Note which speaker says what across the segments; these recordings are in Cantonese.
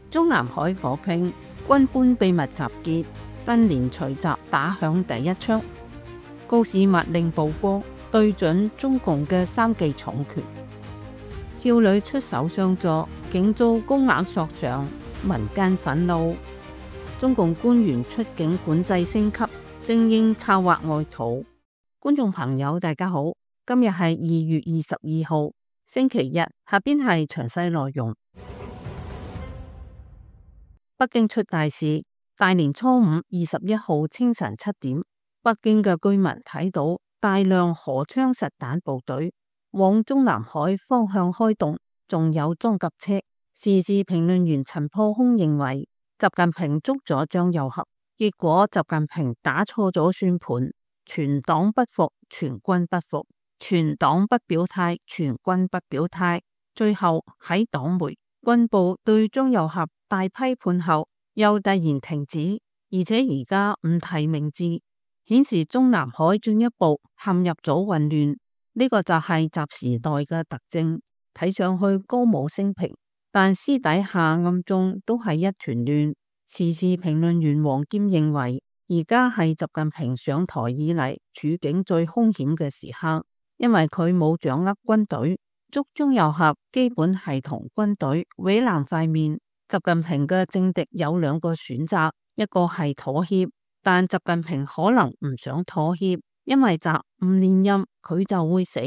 Speaker 1: 中南海火拼，軍官秘密集結，新年除夕打響第一槍。高市密令曝光，對準中共嘅3記重拳。少女出手相助，竟遭高額索償，民間憤怒。中共官員出境管制升級，精英策劃外逃。觀眾朋友大家好，今日係2月22號星期日，下邊係詳細內容。北京出大事，大年初五21號清晨7點，北京嘅居民睇到大量荷槍實彈部隊往中南海方向開動，仲有裝甲車。時事評論員陳破空認為，習近平捉咗張又俠，結果習近平打錯咗算盤，全黨不服，全軍不服，全黨不表態，全軍不表態。最後喺黨媒、軍報對張又俠大批判後，又突然停止，而且而家唔提名字，顯示中南海進一步陷入咗混亂。呢個就係習時代嘅特徵，睇上去歌舞升平，但私底下暗中都係一團亂。時事評論員黃堅認為，而家係習近平上台以嚟處境最兇險嘅時刻，因為佢冇掌握軍隊，捉張又俠基本係同軍隊毀爛塊面。習近平嘅政敵有2個選擇，一個係妥協，但習近平可能唔想妥協，因為習唔連任佢就會死，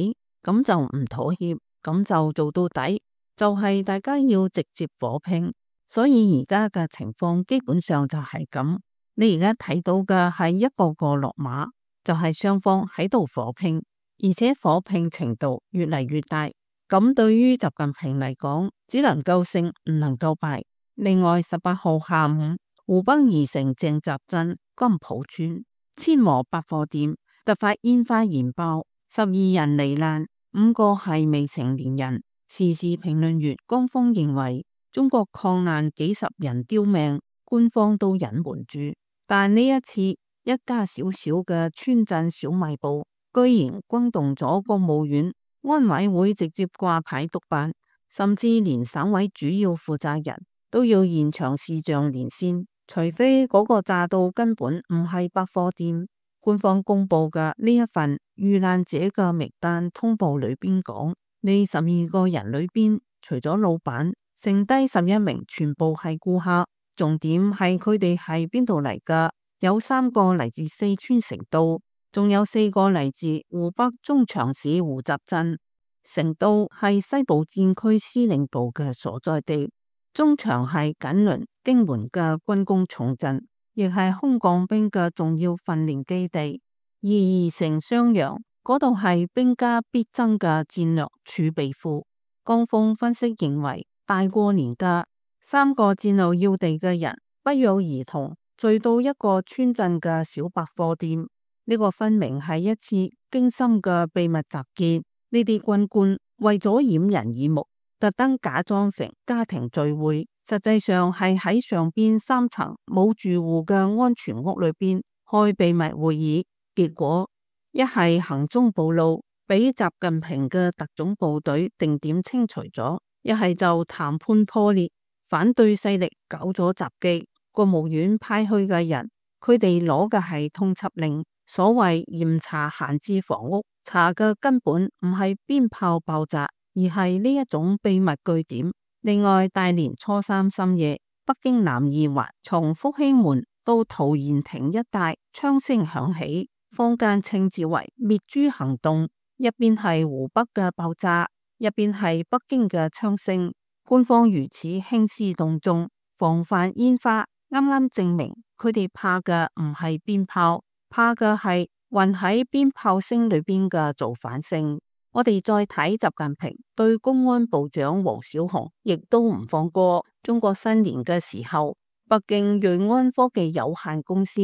Speaker 1: 咁就唔妥協，咁就做到底，就係大家要直接火拼。所以而家嘅情況基本上就係咁，你而家睇到嘅係一個個落馬，就係雙方喺度火拼，而且火拼程度越嚟越大。咁對於習近平嚟講，只能夠勝唔能夠敗。另外18號下午，湖北宜城鄭集鎮金浦村千和百貨店突發煙花燃爆，12人罹難，5個係未成年人。時事評論員江峰認為，中國抗難幾十人丟命，官方都隱瞞住，但呢一次一家小小嘅村鎮小賣部居然轟動咗國務院、安委會，直接掛牌督辦，甚至連省委主要負責人都要現場視像連線，除非嗰個炸到根本唔係百貨店。官方公布嘅呢一份遇難者嘅名單通報裏邊講，呢12個人裏邊除咗老闆，剩低11名全部係顧客。重點係佢哋係邊度嚟㗎？有3個嚟自四川成都，仲有4個嚟自湖北中長市湖集鎮。成都係西部戰區司令部嘅所在地，中長係緊鄰京門嘅軍工重鎮，亦係空降兵嘅重要訓練基地。而宜城襄陽嗰度係兵家必爭嘅戰略儲備庫。江峰分析認為，大過年嘅3個戰略要地嘅人不約而同聚到一個村鎮嘅小百貨店，呢個分明係一次精心嘅秘密集結。呢啲軍官為咗掩人耳目，特登假裝成家庭聚會，實際上係喺上邊3層冇住戶嘅安全屋裏邊開秘密會議。結果一係行蹤暴露，俾習近平嘅特種部隊定點清除咗；一係就談判破裂，反對勢力搞咗襲擊。國務院派去嘅人，佢哋攞嘅係通緝令，所謂嚴查閒置房屋，查嘅根本唔係鞭炮爆炸，而係呢一種秘密據點。另外，大年初3深夜，北京南二環從復興門到陶然亭一帶槍聲響起，坊間稱之為滅豬行動，一邊係湖北嘅爆炸，一邊係北京嘅槍聲。官方如此興師動眾防範煙花，啱啱證明佢哋怕嘅唔係鞭炮，怕嘅係混喺鞭炮聲裏邊嘅造反性。我哋再睇習近平對公安部長王小洪亦都唔放過。中國新年嘅時候，北京瑞安科技有限公司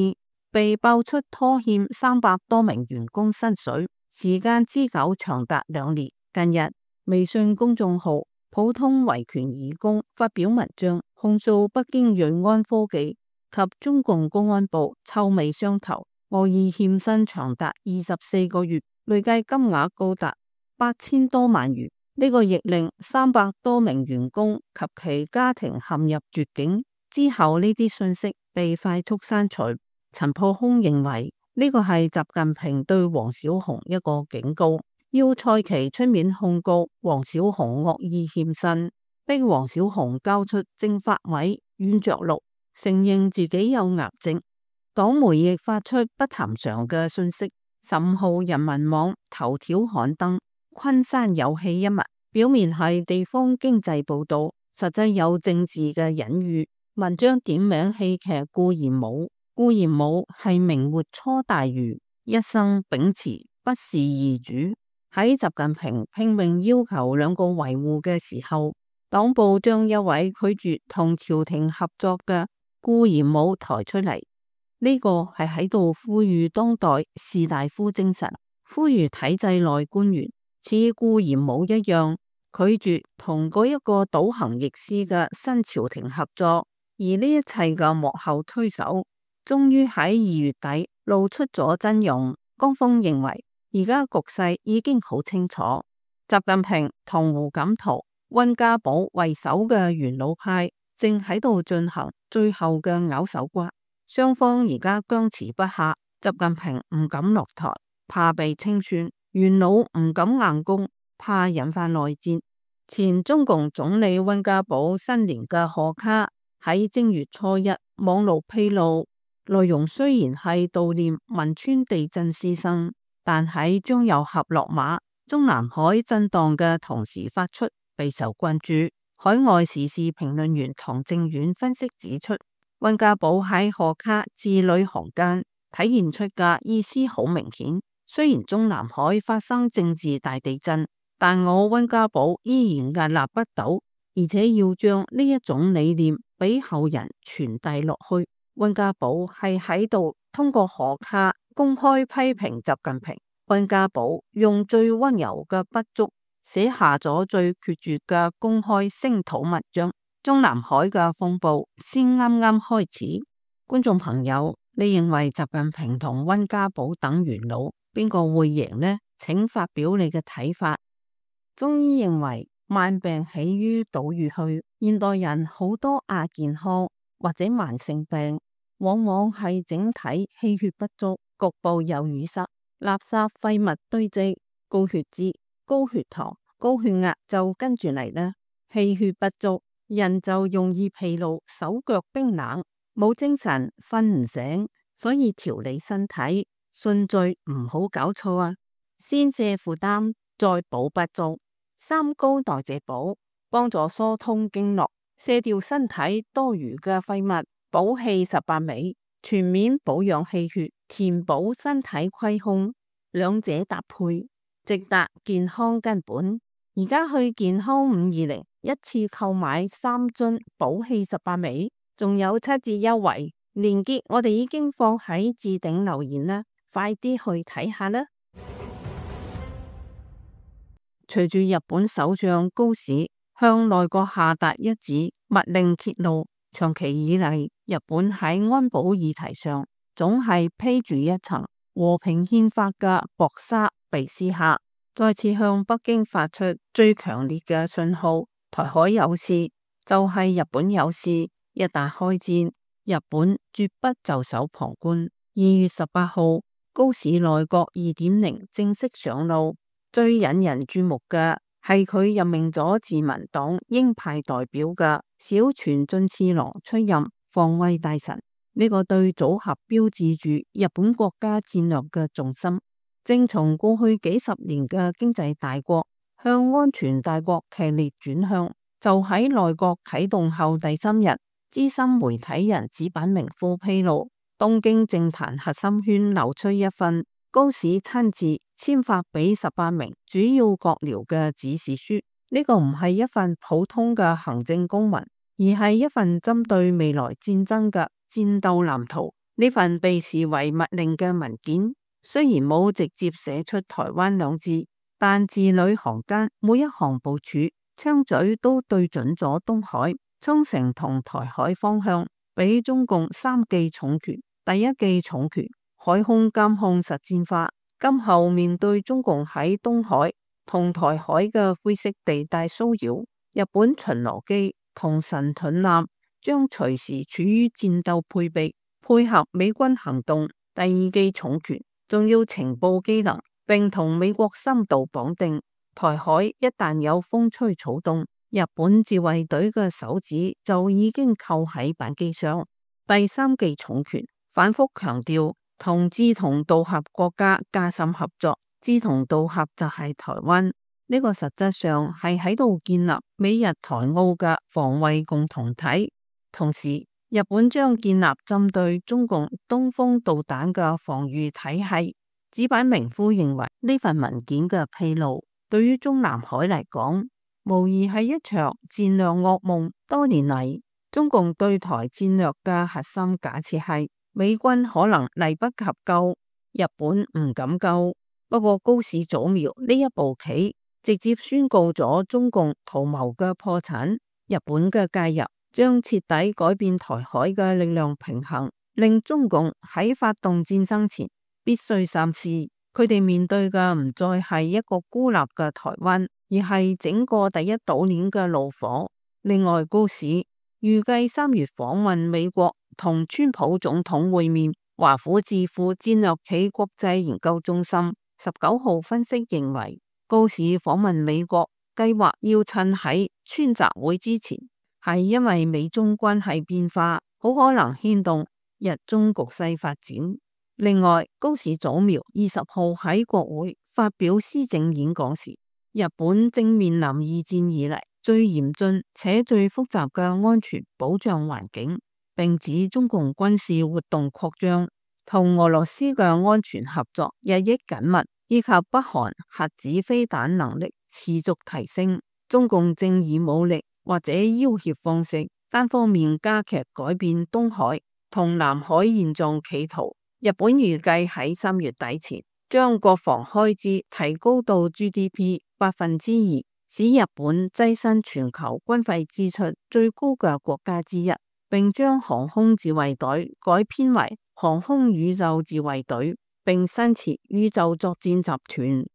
Speaker 1: 被爆出拖欠300多名員工薪水，時間之久長達2年。近日，微信公眾號普通維權義工發表文章，控訴北京瑞安科技及中共公安部臭味相投，惡意欠薪長達24個月，累計金額高達8000多萬元。呢個亦令300多名員工及其家庭陷入絕境。之後呢啲信息被快速刪除。陳破空認為呢個係習近平對王小洪一個警告，要蔡奇出面控告王小洪惡意欠薪，逼王小洪交出政法委軟着陸，承認自己有癌症。黨媒亦發出不尋常嘅信息。15號人民網頭條刊登昆山有戲一幕，表面係地方經濟報道，實際有政治嘅隱喻。文章點名戲劇顧炎武，顧炎武係明末初大儒，一生秉持不事二主。喺習近平拼命要求兩個維護嘅時候，黨報將一位拒絕同朝廷合作嘅顧炎武抬出嚟。呢個係喺度呼籲當代士大夫精神，呼籲體制內官員似顧炎武一樣拒絕同嗰一個倒行逆施嘅新朝廷合作。而呢一切嘅幕後推手，終於喺2月底露出咗真容。江峰認為，而家局勢已經好清楚，習近平同胡錦濤、溫家寶為首嘅元老派正喺度進行最後嘅咬手瓜。雙方而家僵持不下，習近平唔敢落台，怕被清算；元老唔敢硬攻，怕引發內戰。前中共總理溫家寶新年嘅賀卡喺正月初一網絡披露，內容雖然係悼念汶川地震師生，但喺將有合落馬、中南海震盪嘅同時發出，備受關注。海外時事評論員唐正遠分析指出，溫家寶喺賀卡字裏行間體現出嘅意思好明顯，雖然中南海發生政治大地震，但我溫家寶依然屹立不倒，而且要將呢一種理念俾後人傳遞落去。溫家寶係喺度通過賀卡公開批評習近平。溫家寶用最溫柔嘅筆觸寫下咗最決絕嘅公開聲討文章。中南海嘅風暴先啱啱開始。觀眾朋友，你認為習近平同溫家寶等元老邊個會贏呢？請發表你嘅睇法。中醫認為慢病起於島嶼去，現代人好多亞健康或者慢性病，往往係整體氣血不足，局部有淤塞、垃圾廢物堆積，高血脂、高血糖、高血壓就跟住嚟啦。氣血不足，人就容易疲勞，手腳冰冷，冇精神，瞓唔醒。所以調理身體順序唔好搞錯啊！先卸負擔，再補不足。三高代謝補，幫助疏通經絡，卸掉身體多餘嘅廢物，補氣18味，全面保養氣血，填補身體虧空，兩者搭配，直達健康根本。而家去健康520，一次購買3樽補氣18味，仲有7折優惠，鏈接我哋已經放喺置頂留言啦，快啲去睇下啦！隨住日本首相高市向內閣下達一紙密令揭露，長期以嚟日本喺安保議題上總係披住一層和平憲法嘅薄紗被撕下，再次向北京發出最強烈嘅信號：台海有事就係日本有事，一旦開戰，日本絕不袖手旁觀。2月18號，高市內閣2.0正式上路。最引人注目嘅係佢任命咗自民黨鷹派代表嘅小泉進次郎出任防衛大臣，呢個對組合標誌住日本國家戰略嘅重心，正從過去幾十年嘅經濟大國向安全大國劇烈轉向。就喺內閣啟動後第3日，資深媒體人矢板明夫披露，東京政壇核心圈流出一份高市親自簽發俾18名主要閣僚嘅指示書，呢個唔係一份普通嘅行政公文，而係一份針對未來戰爭嘅戰鬥藍圖。呢份被視為密令嘅文件，雖然冇直接寫出台灣兩字，但字裏行間每一行部署，槍嘴都對準咗東海、沖繩同台海方向，俾中共3記重拳。第一記重拳，海空監控實戰化，今後面對中共喺東海、同台海嘅灰色地帶騷擾，日本巡邏機同神盾艦將隨時處於戰鬥配備，配合美軍行動。第二記重權仲要情報機能，並同美國深度綁定。台海一旦有風吹草動，日本自衛隊嘅手指就已經扣喺扳機上。第三記重權反覆強調同志同道合國家加深合作，志同道合就係台灣，呢個實質上係喺度建立美日台澳嘅防衛共同體。同時，日本將建立針對中共東風導彈嘅防禦體系。矢板明夫認為呢份文件嘅披露，對於中南海嚟講，無疑係一場戰略噩夢。多年嚟，中共對台戰略嘅核心假設係美軍可能嚟不及救，日本唔敢救。不過高市早苗呢一步棋，直接宣告咗中共圖謀嘅破產。日本嘅介入將徹底改變台海嘅力量平衡，令中共喺發動戰爭前必須三思。佢哋面對嘅唔再係一個孤立嘅台灣，而係整個第一島鏈嘅怒火。另外，高市預計3月訪問美國，同川普總統會面。華府智庫戰略暨國際研究中心19號分析認為，高市訪問美國計劃要趁喺川習會之前，係因為美中關係變化好可能牽動日中局勢發展。另外，高市早苗20號喺國會發表施政演講時，日本正面臨二戰以嚟最嚴峻且最複雜嘅安全保障環境，並指中共軍事活動擴張，同俄羅斯嘅安全合作日益緊密，以及北韓核子飛彈能力持續提升，中共正以武力或者要挾方式單方面加劇改變東海同南海現狀企圖。日本預計喺3月底前將國防開支提高到 GDP 2%，使日本躋身全球軍費支出最高嘅國家之一，並將航空自衛隊改編為航空宇宙自衛隊，並新設宇宙作戰集團。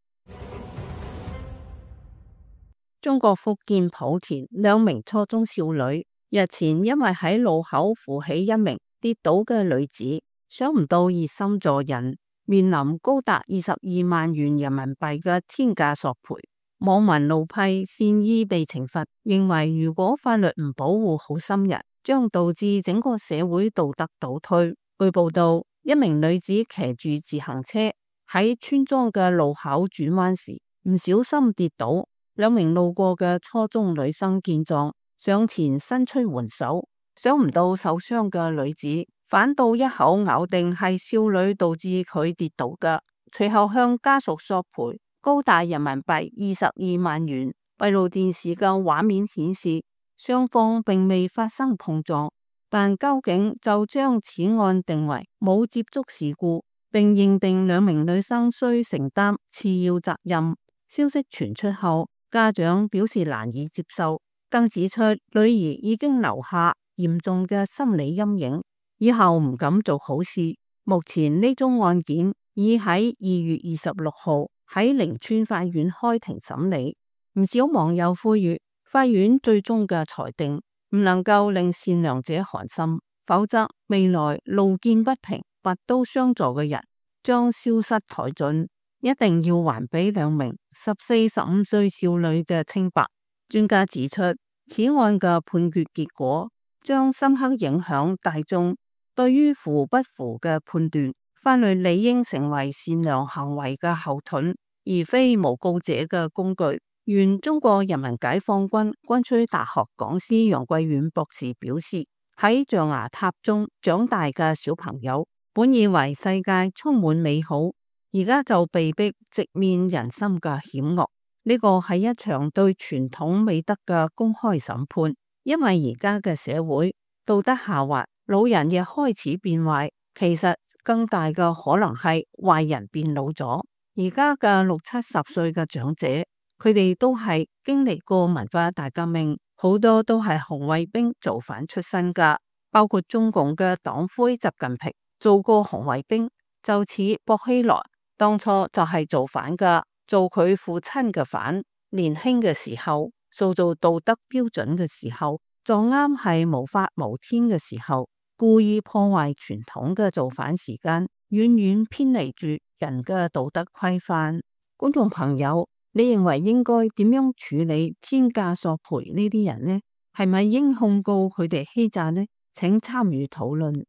Speaker 1: 中國福建莆田2名初中少女日前因為喺路口扶起一名跌倒嘅女子，想唔到熱心助人，面臨高達22萬元人民幣嘅天價索賠。網民怒批善意被懲罰，認為如果法律唔保護好心人，將導致整個社會道德倒退。據報道，一名女子騎住自行車喺村莊嘅路口轉彎時唔小心跌倒，2名路過嘅初中女生見狀上前伸出援手，想唔到受傷嘅女子反倒一口咬定係少女導致佢跌倒嘅，隨後向家屬索賠高達人民幣22萬元。閉路電視嘅畫面顯示，雙方並未發生碰撞，但交警就將此案定為冇接觸事故，並認定2名女生需承擔次要責任。消息傳出後，家長表示難以接受，更指出女兒已經留下嚴重嘅心理陰影，以後唔敢做好事。目前呢宗案件已喺2月26號喺寧川法院開庭審理。唔少網友呼籲法院最終嘅裁定唔能夠令善良者寒心，否則未來路見不平拔刀相助嘅人將消失殆盡。一定要還俾2名14、15歲少女嘅清白。專家指出，此案嘅判決結果將深刻影響大眾對於扶不扶嘅判斷。法律理應成為善良行為嘅後盾，而非誣告者嘅工具。原中國人民解放軍軍需大學講師楊貴遠博士表示，喺象牙塔中長大嘅小朋友，本以為世界充滿美好，而家就被逼直面人心嘅險惡。呢個係一場對傳統美德嘅公開審判，因為而家嘅社會道德下滑，老人亦開始變壞，其實更大嘅可能係壞人變老咗。而家嘅60、70歲嘅長者，佢哋都係經歷過文化大革命，好多都係紅衛兵造反出身噶，包括中共嘅黨魁習近平做過紅衛兵，就似薄熙來當初就係造反噶。做佢父親嘅反。年輕嘅時候，塑造道德標準嘅時候，就啱係無法無天嘅時候，故意破壞傳統嘅造反時間，遠遠偏離住人嘅道德規範。觀眾朋友，你認為應該點樣處理天價索賠呢啲人呢？係咪應控告佢哋欺詐呢？請參與討論。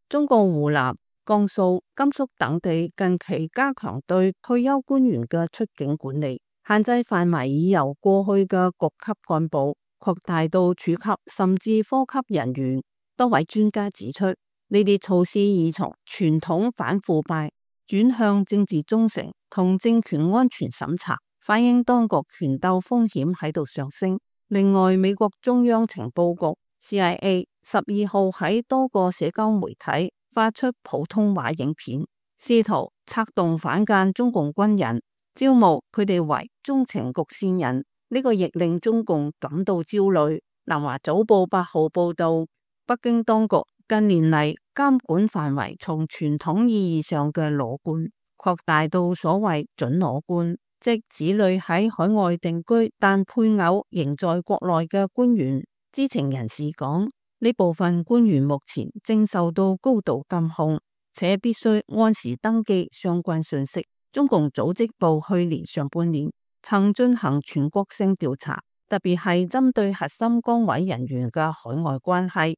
Speaker 1: 中國湖南、江蘇、甘肅等地近期加強對退休官員嘅出境管理，限制範圍已由過去嘅局級幹部擴大到處級甚至科級人員。多位專家指出，呢啲措施已從傳統反腐敗轉向政治忠誠同政權安全審查，反映當局權鬥風險喺度上升。另外，美國中央情報局 CIA 12號喺多個社交媒體發出普通話影片，試圖策動反間中共軍人，招募佢哋為中情局線人。呢個亦令中共感到焦慮。南華早報8號報道，北京當局近年嚟監管範圍從傳統意義上嘅裸官擴大到所謂準裸官，即子女喺海外定居但配偶仍在國內嘅官員。知情人士講，呢部分官員目前正受到高度監控，且必須按時登記相關信息。中共組織部去年上半年曾進行全國性調查，特別係針對核心崗位人員嘅海外關係。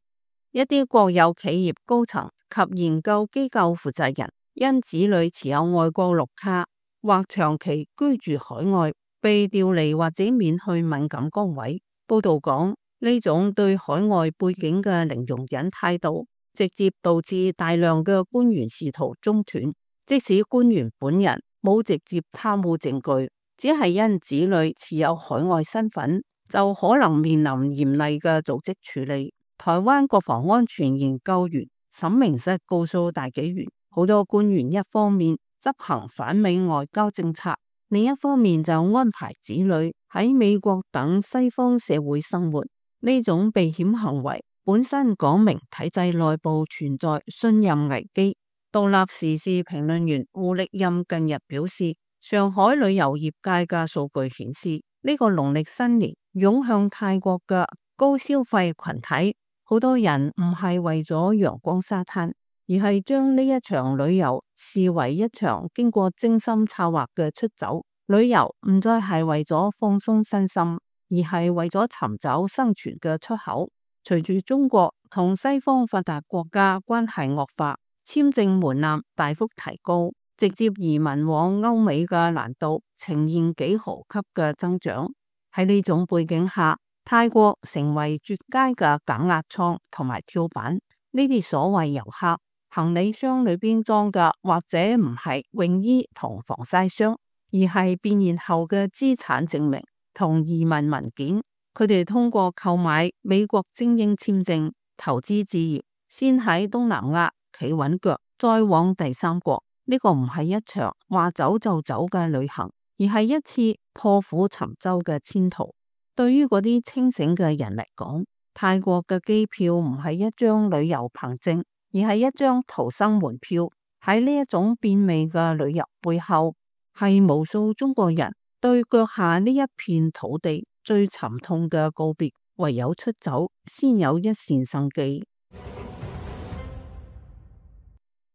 Speaker 1: 一啲國有企業高層及研究機構負責人因子女持有外國綠卡或長期居住海外，被調離或者免去敏感崗位。報道講，呢種對海外背景嘅零容忍態度，直接導致大量嘅官員仕途中斷。即使官員本人冇直接貪污證據，只係因子女持有海外身份，就可能面臨嚴厲嘅組織處理。台灣國防安全研究員沈明石告訴大紀元，好多官員一方面執行反美外交政策，另一方面就安排子女喺美國等西方社會生活。呢種避險行為本身講明體制內部存在信任危機。獨立時事評論員胡力任近日表示，上海旅遊業界嘅數據顯示，呢個農曆新年湧向泰國嘅高消費群體，好多人唔係為咗陽光沙灘，而係將呢一場旅遊視為一場經過精心策劃嘅出走。旅遊唔再係為咗放鬆身心，而係為咗尋找生存嘅出口。隨住中國同西方發達國家關係惡化，簽證門檻大幅提高，直接移民往歐美嘅難度呈現幾何級嘅增長。喺呢種背景下，泰國成為絕佳嘅減壓倉同埋跳板。呢啲所謂遊客行李箱裏邊裝嘅，或者唔係泳衣同防曬霜，而係變現後嘅資產證明同移民文件。佢哋通過購買美國精英簽證投資置業，先喺東南亞企穩腳，再往第三國。呢個唔係一場話走就走嘅旅行，而係一次破釜沉舟嘅遷徙。對於嗰啲清醒嘅人嚟講，泰國嘅機票唔係一張旅遊憑證，而係一張逃生門票。喺呢一種變味嘅旅遊背後，係無數中國人對腳下呢一片土地最沉痛嘅告別。唯有出走，先有一線生機。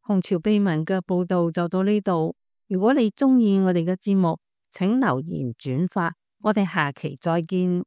Speaker 1: 紅潮秘聞嘅報道就到呢度。如果你鍾意我哋嘅節目，請留言轉發。我哋下期再見。